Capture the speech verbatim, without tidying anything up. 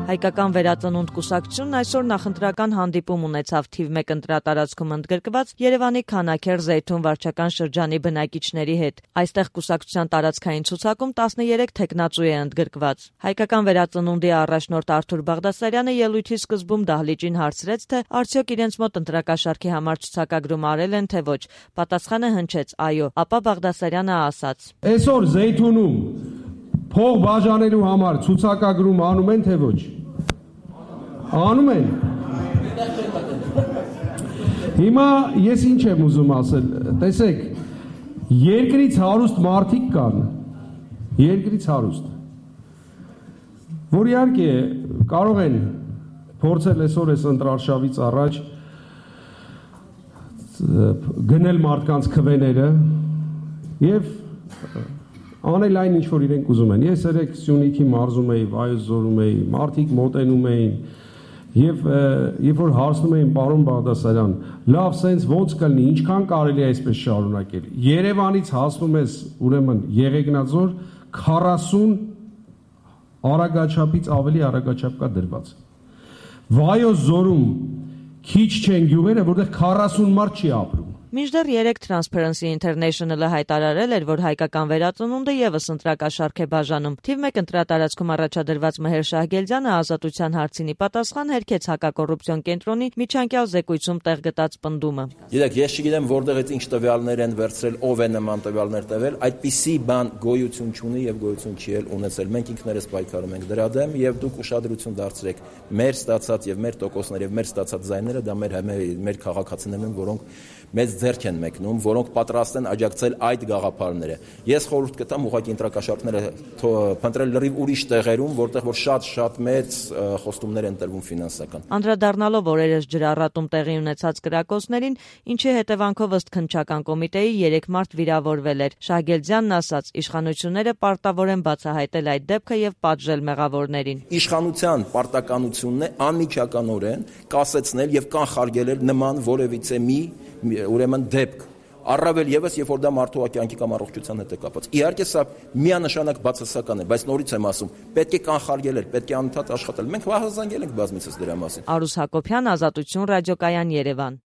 Հայկական վերածնունդ կուսակցությունն այսօր նախընտրական հանդիպում ունեցավ թիվ մեկ ընտրատարածքում ընդգրկված Երևանի Քանաքեռ Զեյթուն վարչական շրջանի բնակիչների հետ։ Այստեղ կուսակցության տարածքային ցուցակում տասներեք թեկնածու է ընդգրկված։ Հայկական վերածնունդի առաջնորդ Արթուր Բաղդասարյանը ելույթի սկզբում դահլիճին հարցրեց, թե արդյոք իրենց մոտ ընտրակաշառքի համար ցուցակագրում արել են, թե ոչ։ Պատասխանը հնչեց այո, ապա Բաղդասարյանը ասաց. Այսօր Զեյթունում փող բաժանելու համար ցուցակագրում անում են, թե ոչ։ Անում են։ Հիմա ես ինչ եմ ուզում ասել, տեսեք, երկրից հարուստ մարդիկ կան, երկրից հարուստ, որ իհարկե կարող են փորձել այսօր այս ընտրարշավից առաջ գնել մարդկանց քվեները եւ անել այն ինչ որ իրենք ուզում են։ Ես երեք Սյունիքի մարզում էի, Վայոց ձորում էի, մարդիկ մոտենում էին եւ երբ որ հարցնում էին պարոն Բաղդասարյան, լավ սենց ոնց կլինի, ինչքան կարելի է այսպես շարունակել։ Երևանից հասնում ես ուրեմն Եղեգնաձոր քառասուն արագաչափից ավելի արագաչափ կա դրված։ Վայոց ձորում քիչ չեն գյուղերը, որտեղ քառասուն մարդ չի ապրում։ Մինչդեռ երեկ Transparency International-ը հայտարարել էր, որ հայկական վերածնունդը եւս ընտրակաշառք է բաժանում։ Թիվ մեկ ընտրատարածքում առաջադրված Մհեր Շահգելդյանը ազատության հարցինի պատասխան հերքեց հակակոռուպցիոն կենտրոնի միջանկյալ զեկույցում տեղ գտած պնդումը։ Գիտեք, ես չգիտեմ որտեղից ինչ տվյալներ են վերցրել, ով է նման տվյալներ տվել, այդպիսի բան գոյություն չունի եւ գոյություն չի էլ ունեցել։ Մենք ինքներս պայքարում ենք դրա դեմ եւ դուք ուշադրություն դարձրեք մեր ստացած եւ մեր տոկոսներ եւ մեր ստացած ձայները, դա մեր մեր քաղաքացիներն են, որոնք մեծ ձեռք են մեկնում, որոնք պատրաստ են աջակցել այդ գաղափարները։ Ես խորհուրդ կտամ ուղղակի ընտրակաշառքները փնտրել լրիվ ուրիշ տեղերում, որտեղ որ շատ-շատ մեծ խոստումներ են տրվում ֆինանսական։ Անդրադառնալով օրերս ջրառատում տեղի ունեցած կրակոցներին, ինչի հետևանքով ըստ քննչական կոմիտեի երեք մարդ վիրավորվել էր։ Շահգելդյանն ասաց, իշխանությունները պարտավոր են բացահայտել այդ դեպքը եւ պատժել մեղավորներին։ Իշխանության պարտականությունն է անմիջականորեն կասեցնել եւ կանխարգելել նման որևիցե մի ուրեմն դեպք, առավել եւս, երբ որ դա մարդու կյանքի կամ առողջության հետ է կապված։ Իհարկե սա միանշանակ բացասական է, բայց նորից եմ ասում, պետք է կանխարգելել, պետք է անընդհատ աշխատել։ Մենք հաղորդել ենք բազմիցս դրա մասին։ Արուս Հակոբյան, Ազատություն ռադիոկայան, Երևան։